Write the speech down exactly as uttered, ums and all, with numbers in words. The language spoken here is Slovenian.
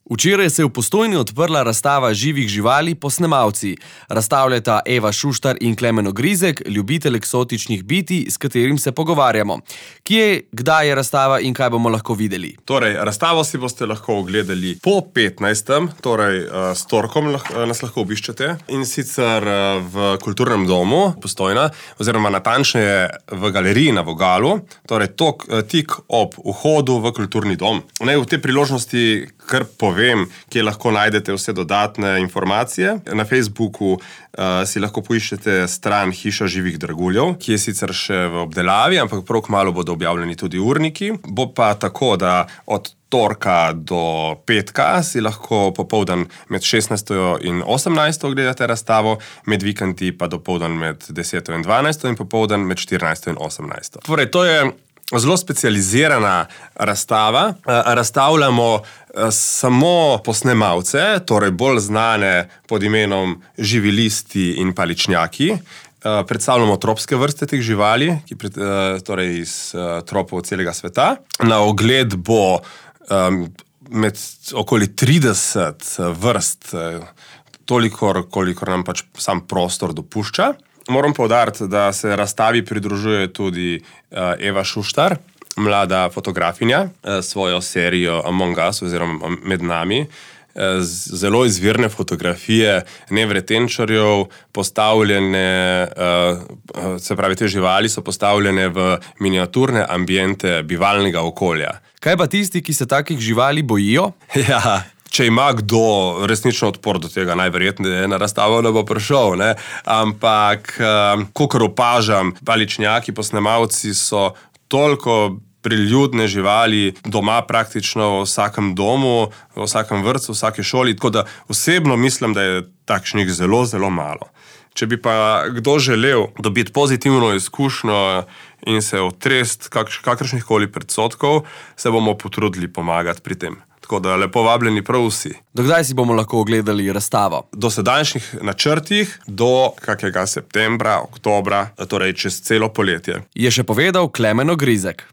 Včeraj se je v Postojni odprla razstava živih živali Posnemalci. Razstavljata Eva Šuštar in Klemen Ogrizek, ljubitelj eksotičnih bitij, s katerim se pogovarjamo. Kje, kdaj je razstava in kaj bomo lahko videli? Torej, razstavo si boste lahko ogledali po petnajstem, torej s torkom nas lahko obiščete, in sicer v Kulturnem domu Postojna, oziroma natančneje v galeriji na Vogalu, torej tok, tik ob vhodu v Kulturni dom. Naj v tej priložnosti kar povem, kje lahko najdete vse dodatne informacije. Na Facebooku uh, si lahko poiščete stran Hiša živih draguljev, ki je sicer še v obdelavi, ampak prav kmalu bodo objavljeni tudi urniki. Bo pa tako, da od torka do petka si lahko popoldan med šestnajsto in osemnajsto gledate razstavo, med vikendi pa dopoldan med deseto in dvanajsto in popoldan med štirinajsto in osemnajsto. Torej, to je zelo specializirana razstava. Razstavljamo samo posnemalce, torej bolj znane pod imenom živilisti in paličnjaki. Predstavljamo tropske vrste teh živali, ki pred, torej iz tropov celega sveta. Na ogled bo um, med okoli trideset vrst, tolikor, kolikor nam pač sam prostor dopušča. Moram poudariti, da se razstavi pridružuje tudi uh, Eva Šuštar, mlada fotografinja, uh, svojo serijo Among Us oziroma Med nami. Uh, zelo izvirne fotografije nevretenčarjev, postavljene, uh, se pravi, te živali so postavljene v miniaturne ambiente bivalnega okolja. Kaj pa tisti, ki se takih živali bojijo? Ja. Če ima kdo resnično odpor do tega, najverjetneje na razstavo ne bo prišel, ne? Ampak, um, kakor opažam, paličnjaki, posnemalci so toliko priljudne živali doma praktično v vsakem domu, v vsakem vrtcu, v vsaki šoli, tako da osebno mislim, da je takšnih zelo, zelo malo. Če bi pa kdo želel dobiti pozitivno izkušnjo in se otresti kakršnih koli predsodkov, se bomo potrudili pomagati pri tem. Tako da lepo vabljeni prav vsi. Do kdaj si bomo lahko ogledali razstavo? Do sedajšnjih načrtih, do kakega septembra, oktobra, torej čez celo poletje. Je še povedal Klemen Ogrizek.